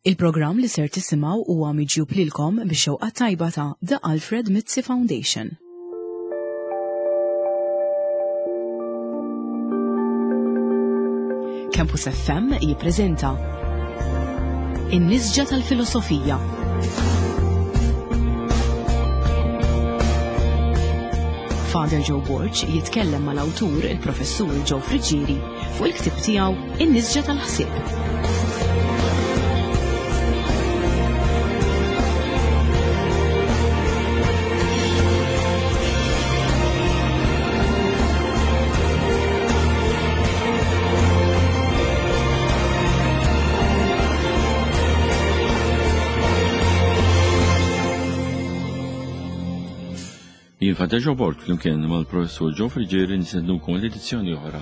Il-programm li ser tisimgħu huwa miġjub lilkom bix-xewqa tajba ta' The Alfred Mizzi Foundation. Campus FM jippreżenta In-Nisġa tal-Filosofija. Father Joe Borg jitkellem mal-awtur il-Professur Joe Friggieri fuq il-ktieb tiegħu In-nisġa tal-ħsieb. Jien Father Joe Borg flimkien mal-Professur Joe Friggieri nistednukom l-edizzjoni oħra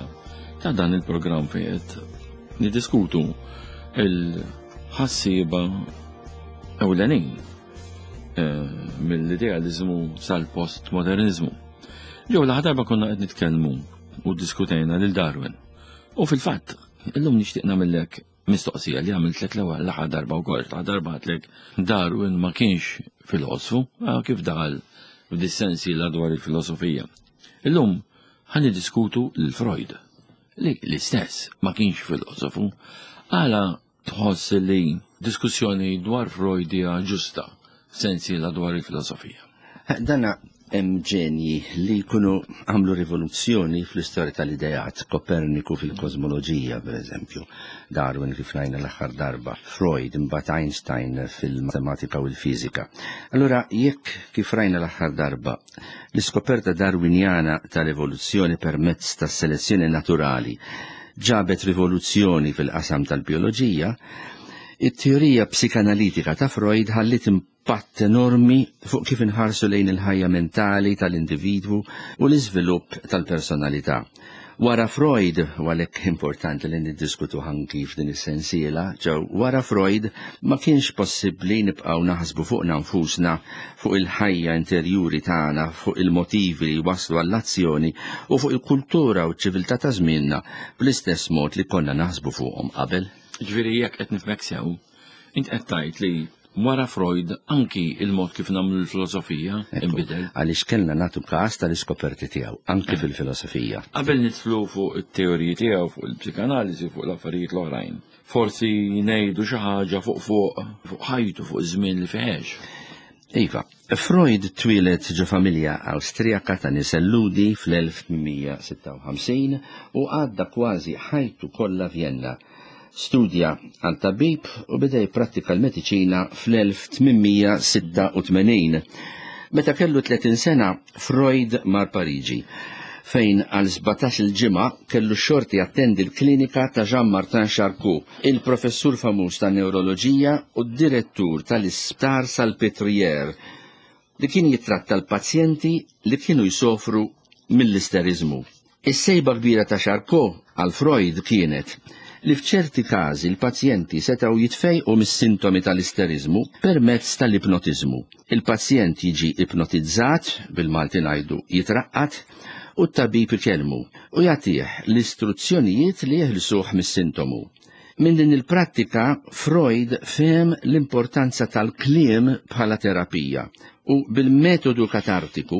ta' dan il-programm fejn qed niddiskutu il-ħassieba ewlenin eh, mill-idealizmu sal-postmodernizmu. Ġew l darba konna qed nitkellmu u diskutejna lil Darwin. U fil-fatt, illum nixtieq nagħmellek Mistoqsija li għamiltlek l-ewwel l-aħħar darba wkoll, l-aħħar darba għedtlek Darwin ma kienx filosfu, ah, kif daħal f'dis-sensiela dwar il-filosofija. Illum ħa niddiskutu lil Freud, li l-istess ma kienx filosofu, għala tħoss li diskussjoni dwar Freud hija ġusta f'sensiela dwar il-filosofija. Dana hemm ġenji li jkunu għamlu rivoluzzjoni fl-istorja tal-ideat, Koperniku fil-kosmoloġija, per eżempju, Darwin kif rajna l-aħħar darba, Freud, imbagħad Einstein fil-matematika u l-fiżika. Allura jekk kif rajna l-aħħar darba, l-iskoperta Darwinjana tal-evoluzzjoni permezz tas-selezzjoni naturali ġabet rivoluzzjoni fil-qasam tal-bioloġija, it-teorija psikanalitika ta' Freud ħalliet impatt enormi fuq kif inħarsu lejn il-ħajja mentali tal-individwu u l-iżvilupp tal-personalità. Wara Freud, u għalhekk importanti li niddiskutu anki f'din is-sensiela, ġew wara Freud ma kienx possibbli nibqgħu naħsbu fuqna nfusna, fuq il-ħajja interjuri tagħna, fuq il-motivi li jwasslu għall-azzjoni u fuq il-kultura u ċ-ċiviltà ta' żmienna bl-istess mod li konna naħsbu fuqhom qabel. Ġifieri jekk qed nifhmek sew, Int qed tgħid li wara Freud anki il-mod kif nagħmlu l-filosofija inbidel. Għaliex kellna nagħtu każ tal-iskoperti tiegħu anki eh. fil-filosofija. Qabel nidħlu fuq it-teoriji tiegħu fuq il-psikanaliżi fuq l-affarijiet l-oħrajn. Forsi ngħidu xi ħaġa fuq fuq fuq ħajtu fuq iż-żmien li feħex. Iva, Freud twieled ġo familja Awstrijaka ta' nisel Lhudi fl-1856 u għadda kważi ħajtu kollha Vjenna. Studja għal tabib u beda jipprattika l-mediċina fl-1886. Meta kellu 30 sena, Freud mar Pariġi, fejn għal 17-il ġimgħa kellu x-xorti jattendi l-klinika ta' Jean-Martin Charcot, il-professur famuż tan-newroloġija u d-direttur tal-Isptar Salpêtrière, li kien jittratta l-pazjenti li kienu jsofru mill-isteriżmu. Is-sejba kbira ta' Charcot għal Freud kienet li f'ċerti każi l-pazjenti setgħu jitfejqu mis-sintomi tal-isteriżmu permezz tal-ipnotiżmu. Il-pazjent jiġi ipnotizzat, bil-Malti ngħidu jitraqqad, u t-tabib ikellmu u jagħtih l-istruzzjonijiet li jeħilsuh mis-sintomu. Minn din il-prattika Freud fehem l-importanza tal-kliem bħala terapija u bil-metodu katartiku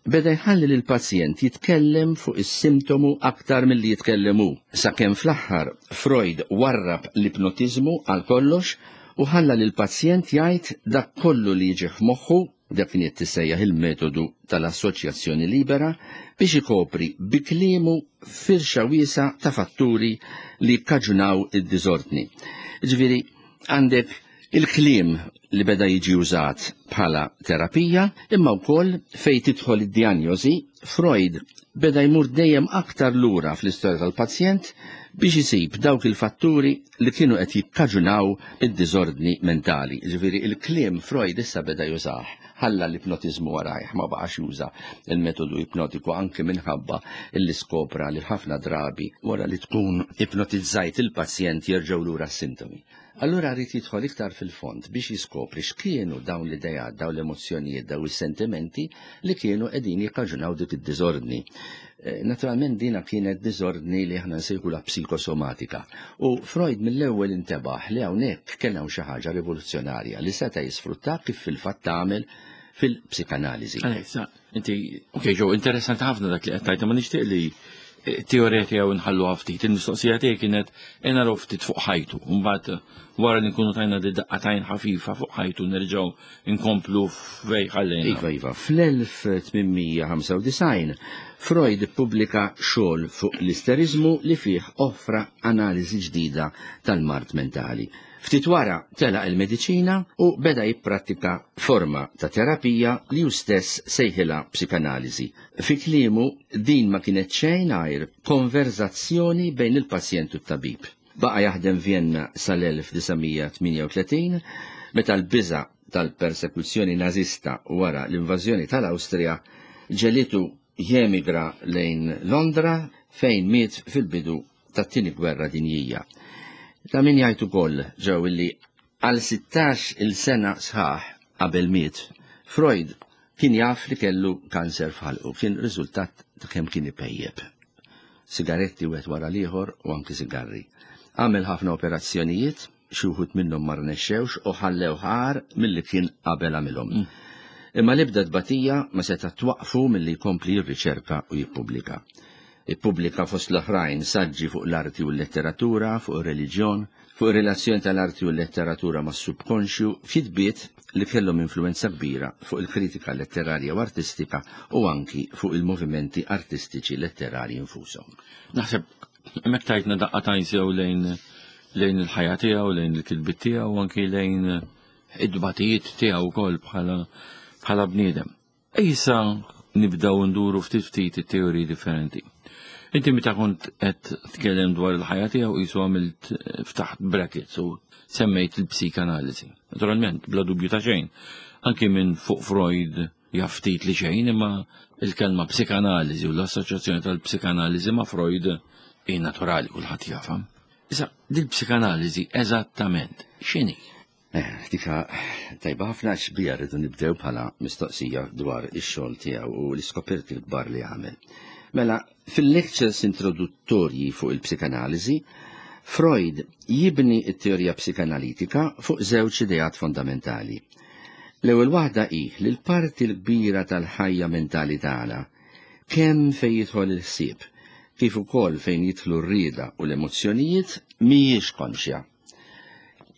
beda jħalli lill-pazjent jitkellem fuq is-sintomu aktar milli jitkellem hu, sakemm fl-aħħar Freud warrab l-ipnotiżmu għal kollox u ħalla lill-pazjent jgħid dak kollu li jiġih f'moħħu, dak kien tissejjaħ il-metodu tal-assoċjazzjoni libera, biex ikopri bi kliemu firxa wiesgħa ta' fatturi li jikkaġunaw id-diżordni. Jiġifieri għandek il-kliem li beda jiġi użat bħala terapija, imma wkoll fejn tidħol id-dijanjosi, Freud beda jmur dejjem aktar lura fl-istorja tal-pazjent biex isib dawk il-fatturi li kienu qed jikkaġunaw id-diżordni mentali. Jiġifieri il-kliem Freud issa beda jużah, ħalla l-ipnotiżmu warajh, ma baqax juża l-metodu ipnotiku anki minħabba li skopra li ħafna drabi wara li tkun ipnotizzajt il-pazjent jerġgħu lura s-sintomi. Allura rrid jidħol iktar fil-fond biex jiskopri x'kienu dawn l-idejat, dawn l-emozzjonijiet, dawn is-sentimenti li kienu qegħdin jikkaġunaw dik id-diżordni. Eh, naturalment dina kienet diżordni li aħna nsejħu la psikosomatika. U Freud mill-ewwel intebaħ li hawnhekk kellha xi ħaġa rivoluzzjonarja li seta' jisfrutta kif fil-fatt tagħmel fil-psikanaliżi. Inti, ok, ġo, interessanti ħafna dak li qed tgħid, ma nixtieq li eh, teorija tiegħu nħallu ftit. Il-mistoqsija tiegħi kienet naraw ftit fuq ħajtu. Mbagħad wara li nkunu tajna di daqqatajn ħafifa fuq ħajtu nerġgħu nkomplu fej ħallejna. Iva, iva, fl-1895 Freud ippubblika xogħol fuq l-isterizmu li fih offra analiżi ġdida tal-mard mentali. Ftit wara telaq il-mediċina u beda jipprattika forma ta' terapija li hu stess sejħilha psikanaliżi. Fi kliemu din ma kienet xejn għajr konverzazzjoni bejn il-pazjent u t-tabib. Baqa' jaħdem Vienna sal-1938 meta l-biża' tal-persekuzzjoni Nażista wara l-invażjoni tal-Awstrija ġegħlitu jemigra lejn Londra fejn miet fil-bidu tat-Tieni Gwerra Dinjija. Ta' min jgħid ukoll ġew illi għal 16 il sena sħaħ qabel miet, Freud kien jaf li kellu kanser f'ħalqu, kien riżultat ta' kemm kien ipejjep. Sigaretti wieħed wara l-ieħor u anki sigarri. Għamel ħafna operazzjonijiet, xi wħud minnhom ma rnexxewx u ħallew ħar milli kien qabel għamilhom. Imma l-ebda tbatija ma seta' twaqqfu milli jkompli jirriċerka u jippubblika. Ippubblika fost l-oħrajn saġġi fuq l-arti u l-letteratura, fuq ir-reliġjon, fuq ir-relazzjoni tal-arti u l-letteratura mas-subkonxju, f'kitbiet li kellhom influwenza kbira fuq il-kritika letterarja u artistika u anki fuq il-movimenti artistiċi letterarji nfushom. Naħseb hemmhekk tajtna daqqa tajn sew lejn lejn il-ħajja tiegħu, lejn il-kitbiet tiegħu, anki lejn id-dbatijiet tiegħu wkoll bħala bħala bniedem. Issa nibdew nduru ftit ftit it-teoriji differenti. Inti meta kont qed tkellem dwar il-ħajja tiegħu qisu għamilt eh, ftaħt brackets u semmejt il-psikanaliżi. Naturalment, bla dubju ta' xejn, anki minn fuq Freud jaf ftit li xejn, imma il-kelma psikanaliżi u l-assoċjazzjoni tal-psikanaliżi ma' Freud hi naturali kulħadd jafha. Issa, dil-psikanaliżi eżattament x'inhi? Eh, dika tajba ħafna xbija rridu nibdew bħala mistoqsija dwar ix-xogħol tiegħu u l-iskoperti l-kbar li għamel. Mela, fil-lectures introduttorji fuq il-psikanaliżi, Freud jibni t-teorija psikanalitika fuq żewġ ideat fondamentali. L-ewwel waħda hi li l-parti l-kbira tal-ħajja mentali tagħna, kemm fejn jidħol il-ħsieb, kif ukoll fejn jidħlu r-rieda u l-emozzjonijiet, mhijiex konxja.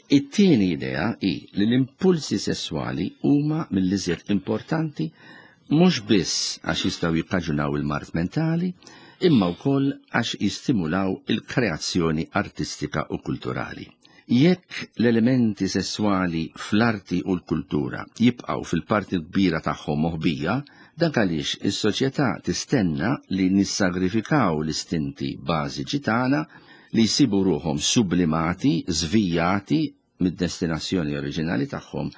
It-tieni idea hi li l-impulsi sesswali huma mill-iżjed importanti mhux biss għax jistgħu jikkaġunaw il-mard mentali, imma wkoll għax jistimulaw il-kreazzjoni artistika u kulturali. Jekk l-elementi sesswali fl-arti u l-kultura jibqgħu fil-parti kbira tagħhom moħbija, dak għaliex is-soċjetà tistenna li nissagrifikaw l-istinti bażiċi tagħna li jsibu ruħhom sublimati, żvijati mid-destinazzjoni oriġinali tagħhom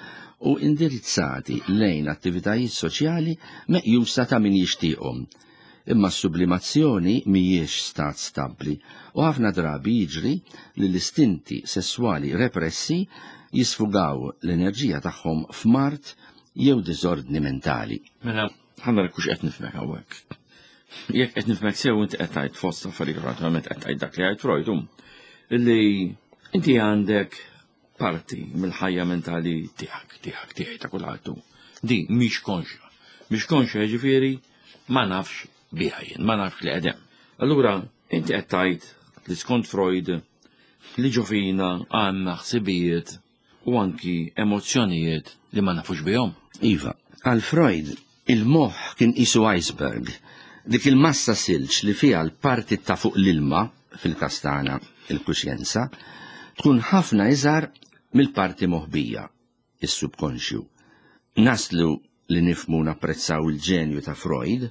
u indirizzati lejn attivitajiet soċjali meqjusa ta' min jixtieqhom. Imma s-sublimazzjoni mhijiex stat stabbli u ħafna drabi jiġri li l-istinti sesswali repressi jisfugaw l-enerġija tagħhom f'mard jew diżordni mentali. Mela, ħa nara kux qed nifhmek hawnhekk. Jekk qed nifhmek sew inti qed tgħid fost affarijiet oħra, naturalment qed tgħid dak li għid Freud hum, illi inti għandek parti mill-ħajja mentali tiegħek, tiegħek, tiegħi ta' kulħadd hu. Di mhix konxja. Mhix konxja jiġifieri ma nafx biha jien, ma nafx li qed hemm. Allura inti qed tgħid li skont Freud li ġo fina għandna ħsibijiet u anki emozzjonijiet li ma nafux bihom. Iva, għal Freud il-moħħ kien qisu iceberg, dik il-massa silġ li fiha l-parti ta' fuq l-ilma, fil-każ tagħna il-kuxjenza, tkun ħafna iżgħar mill-parti moħbija, is-subkonxju. Naslu li nifhmu u napprezzaw il-ġenju ta' Freud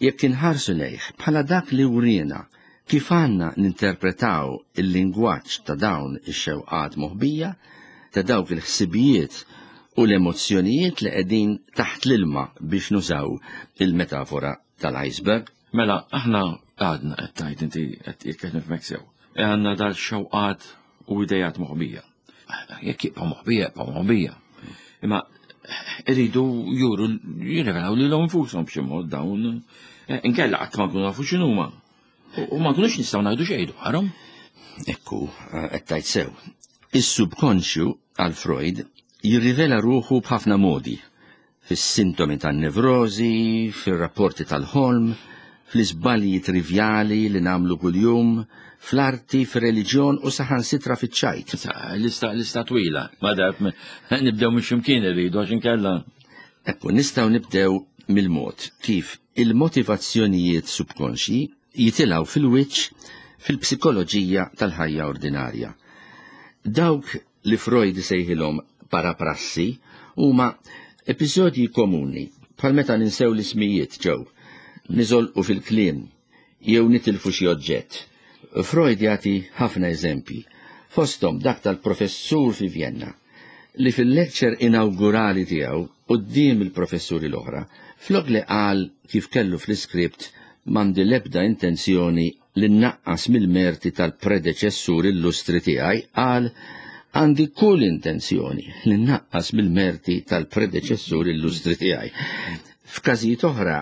jekk inħarsu lejh bħala dak li wriena kif għandna ninterpretaw il-lingwaġġ ta' dawn ix-xewqat moħbija, ta' dawk il-ħsibijiet u l-emozzjonijiet li qegħdin taħt l-ilma biex nużaw il-metafora tal-iceberg. Mela, aħna għadna qed tgħid inti qed jekk qed nifhmek sew. Għandna dal-xewqat u idejat moħbija. Jekk jibqa' moħbija, jibqa' moħbija. Imma iridu juru jirrevelaw lilhom infushom b'xi mod dawn. Eh, inkella qatt ma nkunu nafu x'inhuma. U ma nkunux nistgħu ngħidu xejn dwarhom. Ekku, eh, qed tgħid sew. Is-subkonxju għal Freud jirrivela ruħu b'ħafna modi fis-sintomi tan-nevrożi, fir-rapporti tal-ħolm, fl-iżbalji trivjali li nagħmlu kuljum, fl-arti, fir-reliġjon u saħansitra fiċ-ċajt. Lista, lista twila, ma darb nibdew minn x'imkien irridu għax inkella. Ekku, nistgħu nibdew mill-mod kif il-motivazzjonijiet subkonxji jitilgħu fil-wiċċ fil-psikoloġija tal-ħajja ordinarja. Dawk li Freud isejħilhom paraprassi huma episodji komuni bħal meta ninsew l-ismijiet ġew, niżolqu fil-kliem jew nitilfu xi oġġett. Freud jagħti ħafna eżempji, fosthom dak tal-professur fi Vienna, li fil-lecture inawgurali tiegħu quddiem il-professuri l-oħra, flok li qal kif kellu fl-iskript m'għandi l-ebda intenzjoni li nnaqqas mill-merti tal-predeċessur illustri tiegħi, qal għandi kull intenzjoni li nnaqqas mill-merti tal-predeċessur illustri tiegħi. F'każijiet oħra,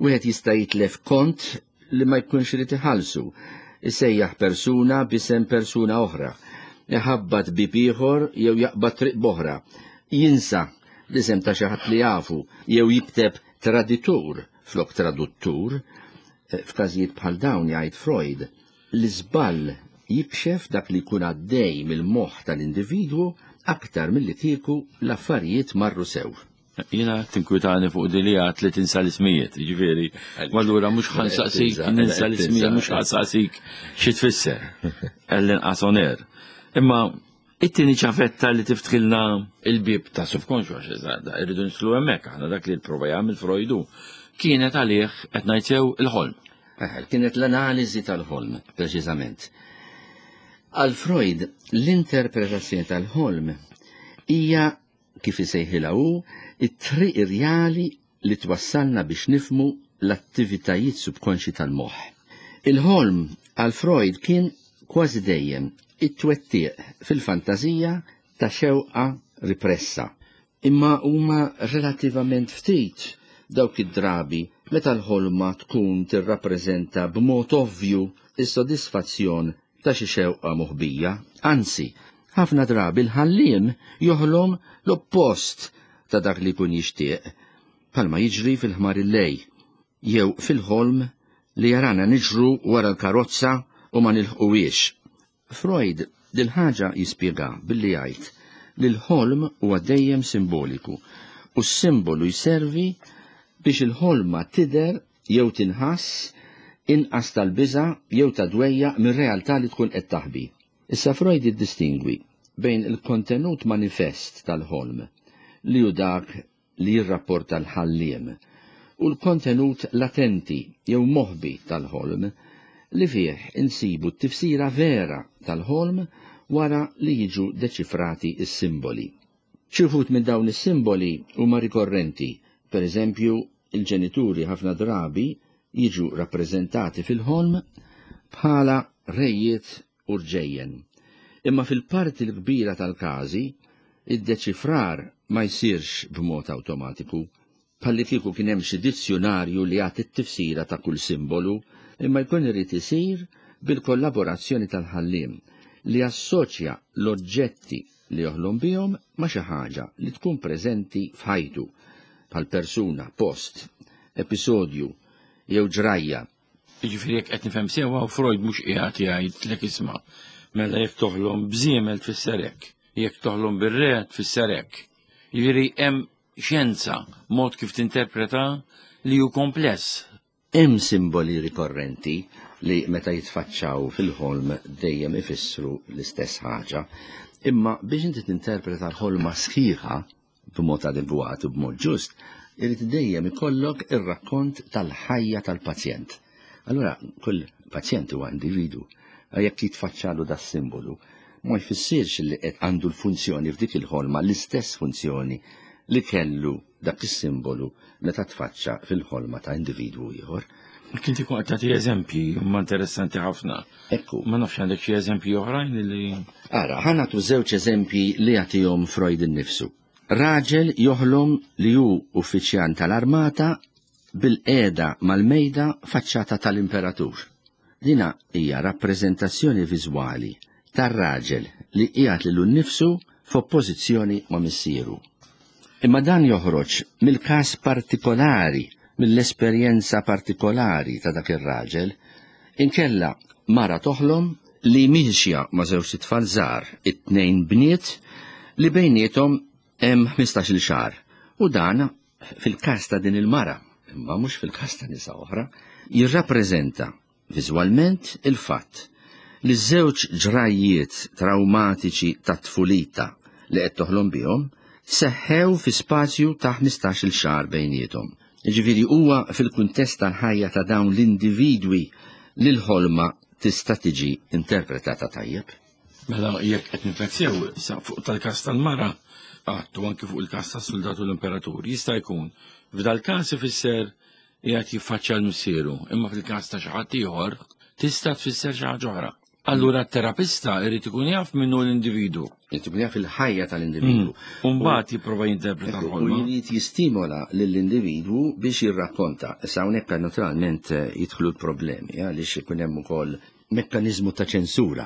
wieħed jista' jitlef kont li ma jkunx irid iħallsu, isejjaħ persuna b'isem persuna oħra, iħabbat bieb ieħor jew jaqbad triq b'oħra, jinsa l-isem ta' xi ħadd li jafu jew jikteb traditur flok traduttur. F'każijiet bħal dawn jgħid Freud, l-iżball jikxef dak li jkun għaddej mill-moħħ tal-individwu aktar milli kieku l-affarijiet marru sew. Jiena tinkwitani fuq din li għad li tinsa l-ismijiet, jiġifieri, allura mhux ħa nsaqsik ninsa l-ismijiet, mhux ħa nsaqsik xi tfisser, għall-inqas on air. Imma It-tieni ċavetta li tiftħilna il-bieb ta' subkonxju għax irridu nidħlu hemmhekk aħna dak li prova jagħmel Freudu kienet għalih qed ngħid sew il-ħolm. Eh, kienet l-analiżi tal-ħolm, preċiżament. Għal Freud, l-interpretazzjoni tal-ħolm hija kif isejħilha hu, it-triq irjali li twassalna biex nifhmu l-attivitajiet subkonxji tal-moħħ. Il-ħolm għal Freud kien kważi dejjem it-twettiq fil-fantażija ta' xewqa ripressa. Imma huma relattivament ftit dawk id-drabi meta l-ħolma tkun tirrappreżenta b'mod ovvju s-sodisfazzjon ta' xi xewqa moħbija, anzi, ħafna drabi l-ħalliem joħlom l-oppost ta' dak li jkun jixtieq, bħalma jiġri fil-ħmar il-lej, jew fil-ħolm li jarana niġru wara l-karozza u ma nilħquhiex. Freud dil-ħaġa jispjega billi jgħid li l-ħolm huwa dejjem simboliku u s-simbolu jservi biex il-ħolma tidher jew tinħass inqas tal-biża' jew ta' dwejjaq mir-realtà li tkun qed taħbi. Issa Freud jiddistingwi bejn il-kontenut manifest tal-ħolm, li hu dak li jirrapporta l-ħalliem, u l-kontenut latenti jew moħbi tal-ħolm, li fih insibu t-tifsira vera tal-ħolm wara li jiġu deċifrati s-simboli. Xi wħud minn dawn is-simboli huma rikorrenti, pereżempju, il-ġenituri ħafna drabi jiġu rappreżentati fil-ħolm bħala rejiet u rġejjen. Imma fil-parti l-kbira tal-każi, id-deċifrar ma jsirx b'mod awtomatiku, bħallikieku kien hemm xi dizzjunarju li jagħti t-tifsira ta' kull simbolu, imma jkun irid isir bil-kollaborazzjoni tal-ħalliem li jassoċja l-oġġetti li joħlom bihom ma' xi ħaġa li tkun preżenti f'ħajtu, bħal persuna, post, episodju jew ġrajja. Jiġifieri jekk qed nifhem sewwa Freud mhux qiegħed jgħidlek isma' mela jekk toħlom b'żiemel tfisser hekk, jekk toħlom bir-re tfisser hekk. Jiġifieri hemm xjenza, mod kif tinterpreta li hu kompless. Hemm simboli rikorrenti li meta jitfaċċaw fil-ħolm dejjem ifissru l-istess ħaġa, imma biex inti tinterpreta l-ħolma sħiħa b'mod adegwat u b'mod ġust, irid dejjem ikollok ir-rakkont tal-ħajja tal-pazjent. Allura kull pazjent huwa individu, jekk jitfaċċalu das-simbolu, ma jfissirx li qed għandu l-funzjoni f'dik il-ħolma l-istess funzjoni li kellu dak is-simbolu meta tfaċċa fil-ħolma ta' individwu ieħor. Kien tikun qed tagħti eżempji huma interessanti ħafna. Ekku. Ma nafx għandek xi eżempji oħrajn li. Ara, ħa nagħtu żewġ eżempji li jagħtihom Freud innifsu. Raġel joħlom li hu uffiċjan tal-armata bilqiegħda mal-mejda faċċata tal-imperatur. Dina hija rappreżentazzjoni viżwali tar-raġel li qiegħed lilu nnifsu f'oppożizzjoni ma' missieru. Imma dan joħroġ mill-każ partikolari, mill-esperjenza partikolari ta' dak ir-raġel. Inkella mara toħlom li miexja ma' żewġt itfal żgħar, it-tnejn bniet, li bejniethom hemm ħmistax-il xahar. U dan, fil-każ ta' din il-mara, imma mhux fil-każ ta' nisa oħra, jirrappreżenta viżwalment il-fatt li ż-żewġ ġrajjiet trawmatiċi ta' tfulita li qed toħlom bihom seħħew fi spazju ta' ħmistax-il xahar bejniethom. Jiġifieri huwa fil-kuntest tal-ħajja ta' dawn l-individwi li l-ħolma tista' tiġi interpretata tajjeb. Mela jekk qed nifhek sew, sa fuq tal-każ tal-mara għattu anki fuq il-każ tas-suldat u l-imperatur, jista' jkun f'dal-każ ifisser qiegħed jiffaċċja l-missieru, imma fil-każ ta' xi ħadd ieħor tista' tfisser xi ħaġa oħra. Allura t-terapista irid ikun jaf minnu l-individu. Irid ikun jaf il-ħajja tal-individu. Mm. U mbagħad jipprova jinterpreta l-ħolma. U jrid jistimola lill-individwu biex jirrakkonta. Issa hawnhekk naturalment eh, jidħlu l-problemi eh, għaliex ikun hemm ukoll mekkaniżmu ta' ċensura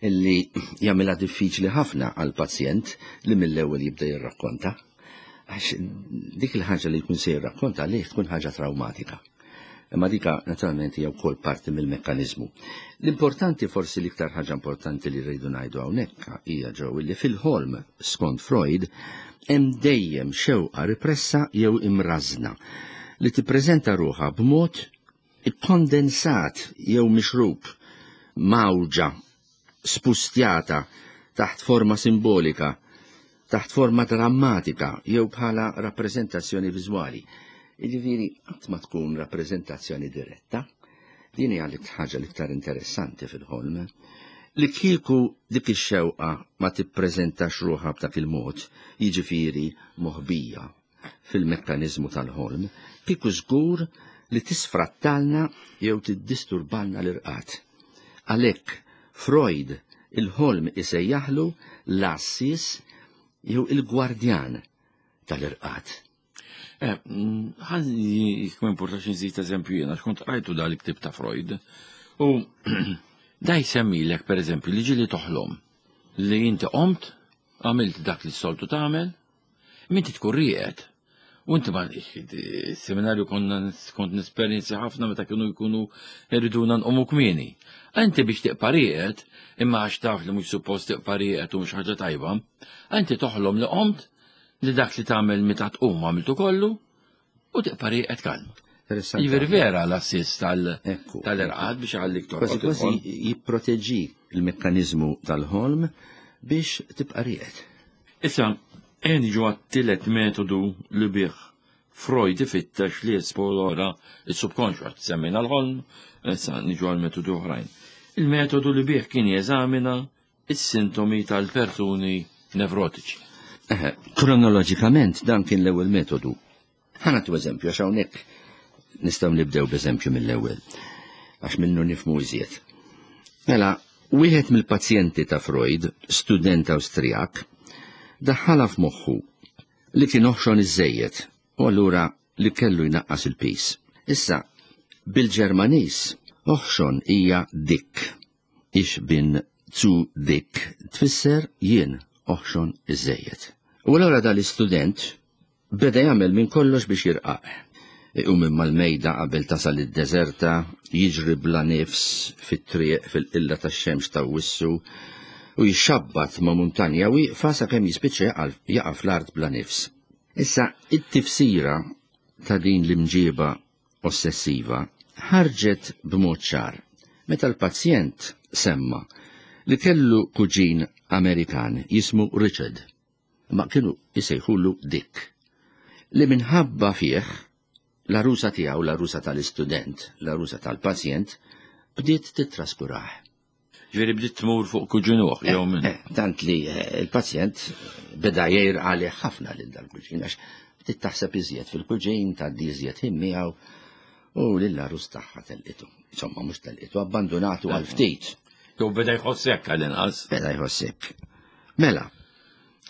illi jagħmilha diffiċli ħafna għall-pazjent li mill-ewwel jibda jirrakkonta. Għax dik il-ħaġa li jkun se jirrakkonta għalih tkun ħaġa traumatika. Imma dika naturalment hija wkoll parti mill-mekkaniżmu. L-importanti forsi l-iktar ħaġa importanti li rridu ngħidu hawnhekk hija ġew li fil-ħolm skont Freud hemm dejjem xewqa ripressa jew imrażna li tippreżenta ruħha b'mod ikkondensat jew mixrub, mgħawġa, spustjata taħt forma simbolika, taħt forma drammatika jew bħala rappreżentazzjoni viżwali. Jiġifieri qatt ma tkun rappreżentazzjoni diretta. Din hija l-ħaġa l-iktar interessanti fil-ħolm. Li kieku dik ix-xewqa ma tippreżentax ruħha b'dak il-mod, jiġifieri moħbija, fil-mekkaniżmu tal-ħolm, kieku żgur li tisfrattalna jew tiddisturbalna l-irqad. Għalhekk, Freud il-ħolm isejjaħlu l-għassies jew il-gwardjan tal-irqad. Eh, ħan jekk ma importax nżid eżempju jiena, xkont qrajtu dal-ktib ta' Freud. U da jsemmilek pereżempju li ġieli toħlom li inti qomt, għamilt dak li s-soltu tagħmel, Minti tkun rieqed. U inti ma seminarju konna kont nesperjenzi ħafna meta kienu jkunu irriduna nqumu kmieni. Inti biex tiqpa' rieqed, imma għax taf li mhux suppost tiqpa' rieqed u mhux ħaġa tajba, inti toħlom li qomt li dak li tagħmel meta tqum għamiltu kollu u tiqpa' rieqed kalm. Jiġifieri vera l-assist tal-irqad biex għallik torqod. Kważi kważi jipproteġi l-mekkaniżmu tal-ħolm biex tibqa' rieqed. Issa, ejja niġu għat-tielet metodu li bih Freud ifittex li jesplora s-subkonxju, għax semmejna l-ħolm, issa niġu għal metodi oħrajn. Il-metodu li bih kien jeżamina is-sintomi tal-persuni nevrotiċi. Eħe, kronoloġikament dan kien l-ewwel metodu. Ħa nagħtu eżempju għax hawnhekk nistgħu nibdew b'eżempju mill-ewwel għax minnu nifhmu iżjed. Mela, wieħed mill-pazjenti ta' Freud, student Awstrijak, daħħalha f'moħħu li kien oħxon iżżejjed u allura li kellu jnaqqas il-piż. Issa, bil-Ġermaniż, oħxon hija dick. Ich bin zu dick tfisser jien oħxon iżżejjed. U allura dal-istudent Beda jagħmel minn kollox biex jirqaq. Iqum minn mal-mejda qabel tasal id-deżerta, jiġri bla nifs fit-triq fil-qilla tax-xemx t'Awwissu u jixxabbat ma' muntanja wieqfa sakemm jispiċċa jaqa' fl-art bla nifs. Issa, it-tifsira ta' din l-imġieba ossessiva ħarġet b'mod ċar meta l-pazjent semma li kellu kuġin Amerikan jismu Richard. imma kienu jsejħulu Dick, li minħabba fih l-għarusa tiegħu, l-għarusa tal-istudent, l-għarusa tal-pazjent, bdiet tittraskurah. Ġifieri bdiet tmur fuq kuġinuh jew minn. Eh, tant li eh, il-pazjent beda jgħir għalih ħafna lil dal-kuġin għax bdiet taħseb iżjed fil-kuġin, tgħaddi iżjed ħin miegħu. U lill-għarus tagħha telqitu. Insomma, mhux telqitu, abbandunatu għal ftit. Jew beda jħossek għall-inqas. Beda jħossek. Mela,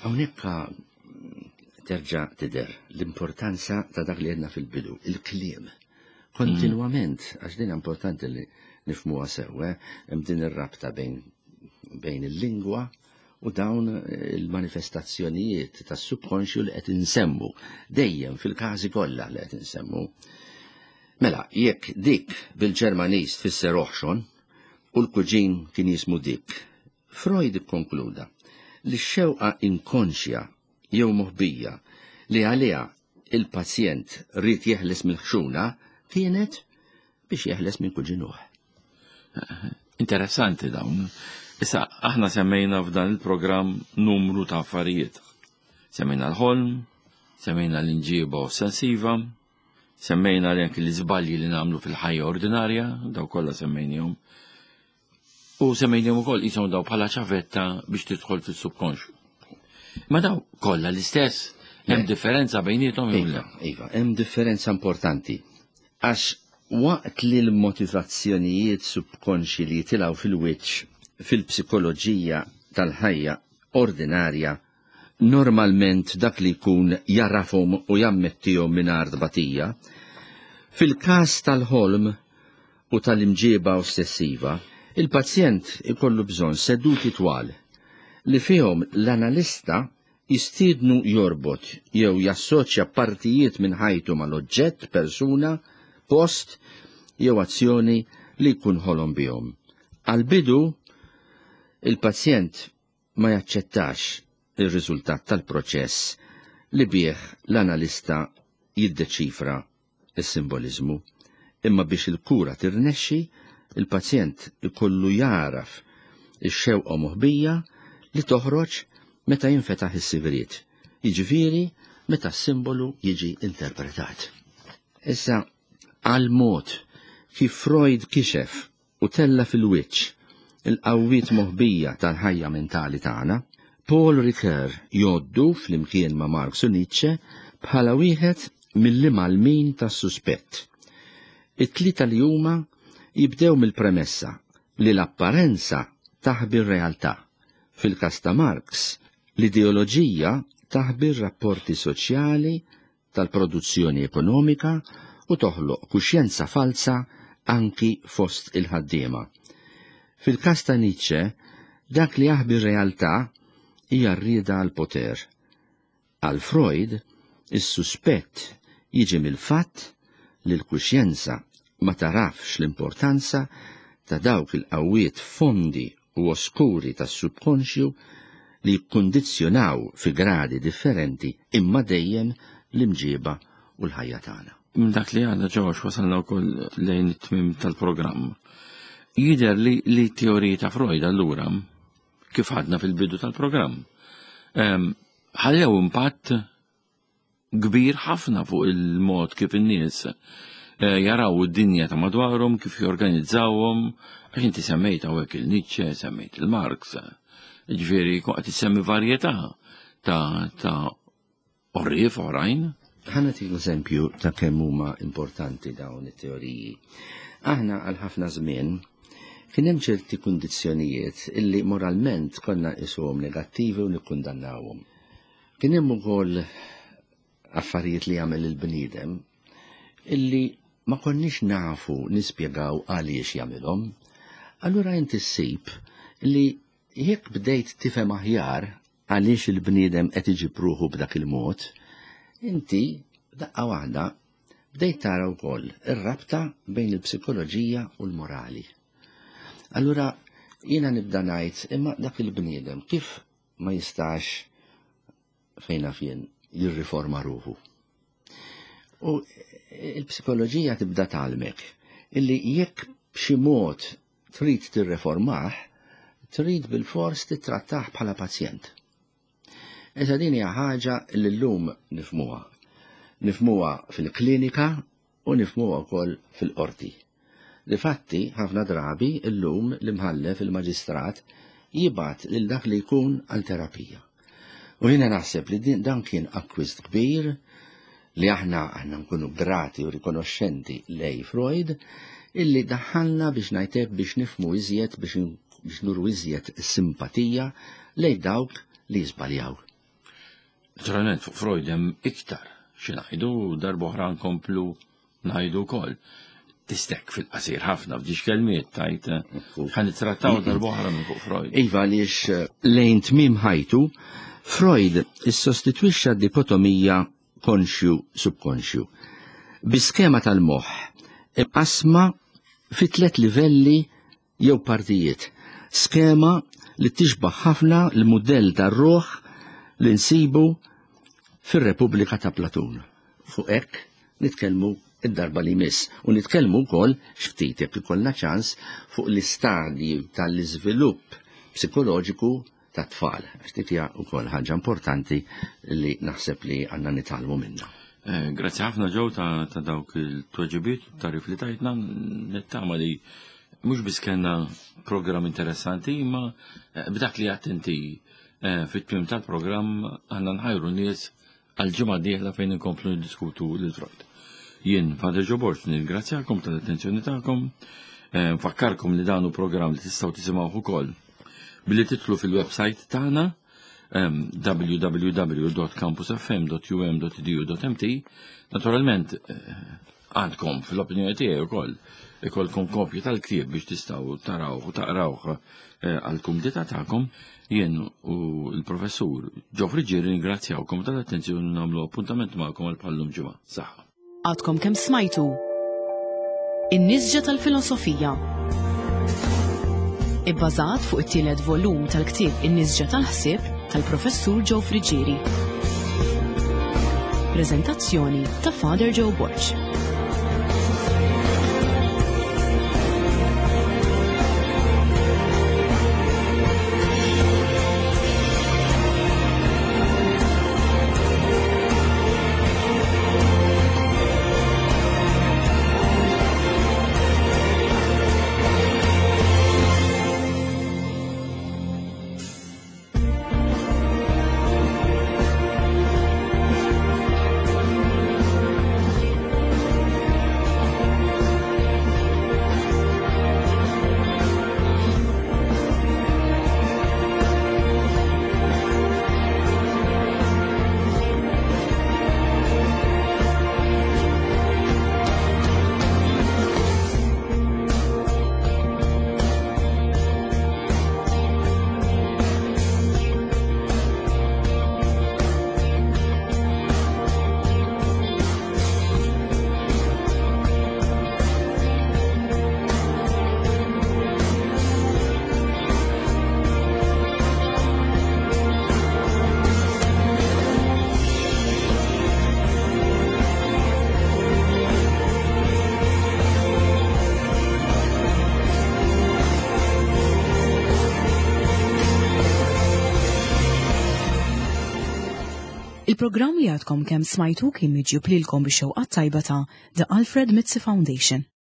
hawnhekk terġa' tidher l-importanza ta' dak li għedna fil-bidu, il-kliem. Kontinwament, għax din importanti li nifhmuha sew, eh, hemm din ir-rabta bejn bejn il-lingwa u dawn il-manifestazzjonijiet tas-subkonxju li qed insemmu dejjem fil-każi kollha li qed insemmu. Mela, jekk dik bil-Ġermaniż tfisser oħxon u l-kuġin kien jismu Dick, Freud ikkonkluda li x-xewqa inkonxja jew moħbija li għaliha il-pazjent ried jeħles mill-ħxuna kienet biex jeħles minn kuġinuh. Interessanti dawn. Issa, aħna semmejna f'dan il-programm numru ta' affarijiet. Semmejna l-ħolm, semmejna l-inġiba ossessiva, semmejna li anki l-iżbalji li nagħmlu fil-ħajja ordinarja, daw kollha semmejnihom. U semmejnihom ukoll qishom daw bħala ċavetta biex tidħol fis-subkonxju. Ma daw kollha l-istess, hemm differenza bejniethom jew le? Iva, iva, hemm differenza importanti. Għax waqt li l-motivazzjonijiet subkonxji li jitilgħu fil-wiċċ fil-psikoloġija tal-ħajja ordinarja normalment dak li jkun jarafhom u jammettihom mingħajr tbatija, fil-każ tal-ħolm u tal-imġieba ossessiva, il-pazjent ikollu bżonn seduti twal li fihom l-analista jistiednu jorbot jew jassoċja partijiet minn ħajtu mal-oġġett, persuna, post jew azzjoni li jkun ħolom bihom. Għall-bidu, il-pazjent ma jaċċettax ir-riżultat tal-proċess li bih l-analista jiddeċifra s-simboliżmu, imma biex il-kura tirnexxi, il-pazjent ikollu jagħraf ix-xewqa moħbija li toħroġ meta jinfetaħ is-sigriet, jiġifieri meta s-simbolu jiġi interpretat. Issa, għall-mod kif Freud kixef u tella' fil-wiċċ il-qawwiet moħbija tal-ħajja mentali tagħna, Paul Ricoeur jgħoddu flimkien ma' Marx u Nietzsche bħala wieħed mill-imgħallmin tas-suspett. It-tlieta li huma jibdew mill-premessa li l-apparenza taħbi r-realtà. Fil-każ ta' Marx, l-ideoloġija taħbi r-rapporti soċjali tal-produzzjoni ekonomika u toħloq kuxjenza falza anki fost il-ħaddiema. Fil-każ ta' Nietzsche, dak li jaħbi r-realtà hija r-rieda għall-poter. Għal Freud, is-suspett jiġi mill-fatt li l-kuxjenza ma tagħrafx l-importanza ta' dawk il-qawwiet fondi u oskuri tas-subkonxju li jikkundizzjonaw fi gradi differenti imma dejjem l-imġieba u l-ħajja tagħna. Minn dak li għadna Ġorġ wasalna wkoll lejn it-tmiem tal-programm. Jidher li li t-teoriji ta' Freud allura kif għadna fil-bidu tal-programm ehm, ħallew impatt kbir ħafna fuq il-mod kif in-nies eh, jaraw id-dinja ta' madwarhom, kif jorganizzawhom, għax inti semmejt hawnhekk il-Nietzsche, semmejt il-Marx. Ġifieri qed issemmi varjetà ta' ta' orrief oħrajn. Ħa nagħtik eżempju ta' kemm huma importanti dawn it-teoriji. Aħna għal ħafna żmien kien hemm ċerti kundizzjonijiet illi moralment konna nqisuhom negattivi u nikkundannawhom. Kien hemm ukoll affarijiet li jagħmel il-bniedem illi ma konniex nafu nispjegaw għaliex jagħmilhom. Allura inti ssib li jekk bdejt tifhem aħjar għaliex il-bniedem qed iġib ruħu b'dak il-mod, inti daqqa waħda bdejt tara wkoll ir-rabta bejn il-psikoloġija u l-morali. Allura jiena nibda ngħid imma dak il-bniedem kif ma jistax fejn naf jien jirriforma ruħu. U il-psikoloġija tibda tgħallmek illi jekk b'xi mod trid tirreformah, trid bilfors tittrattah bħala pazjent. Issa din hija ħaġa li llum nifhmuha. Nifhmuha fil-klinika u nifhmuha wkoll fil-qorti. Difatti, ħafna drabi llum l-imħallef, il-maġistrat, jibgħat lil dak li jkun għal terapija. U jiena naħseb li dan kien akkwist kbir li aħna aħna nkunu grati u rikonoxxenti lej Freud illi daħħalna biex ngħidlek biex nifmu iżjed biex nuru iżjed simpatija lej dawk li jiżbaljaw. Naturalment fuq Freud hemm iktar xi ngħidu darb'oħra nkomplu ngħidu wkoll. Tistek fil-qasir ħafna f'dix kelmiet tajt ħa nittrattaw darb'oħra minn fuq Freud. Iva għaliex eh, lejn tmiem ħajtu Freud issostitwixxa dikotomija konxju subkonxju bi skema tal-moħħ imqasma fi tliet livelli jew partijiet. Skema li tixbaħ ħafna l-mudell tar-ruħ li nsibu fir-Repubblika ta' Platun. Fuq hekk nitkellmu id-darba li jmiss u nitkellmu wkoll ftit jekk ikollna ċans fuq l-istadji tal-iżvilupp psikoloġiku tat-tfal. Għax dik hija wkoll ħaġa importanti li naħseb li għandna nitgħallmu minnha. Eh, grazzi ħafna ġew ta' dawk il-tweġibiet tarif li tajtna nittama li mhux biss kellna programm interessanti imma eh, b'dak li għadt inti eh, fit-tmiem tal-programm għandna nħajru nies għal ġimgħa dieħla fejn inkomplu niddiskutu lil Freud. Jien Father Joe Borg nirringrazzjakom tal-attenzjoni tagħkom, nfakkarkom li dan hu programm li tistgħu tisimgħuh ukoll billi titlu fil-website tagħna www.campusfm.um.edu.mt Naturalment eh, għandkom fl-opinjoni tiegħi wkoll ikolkom kopji tal-ktieb biex tistgħu tarawh u taqrawh eh, għall-kumdità tagħkom. Jien u l-professur Joe Friggieri ringrazzjawkom tal-attenzjoni nagħmlu appuntament magħkom għal bħallum ġimgħa. Saħħa. Għadkom kemm smajtu In-nisġa tal-filosofija. Ibbażat fuq it-tielet volum tal-ktieb In-nisġa tal-ħsieb tal-Professur Joe Friggieri. Preżentazzjoni ta' Father Joe Borg. Il-programm li għadkom kemm smajtu kien miġjub lilkom bix-xewqa tajba ta' The Alfred Mizzi Foundation.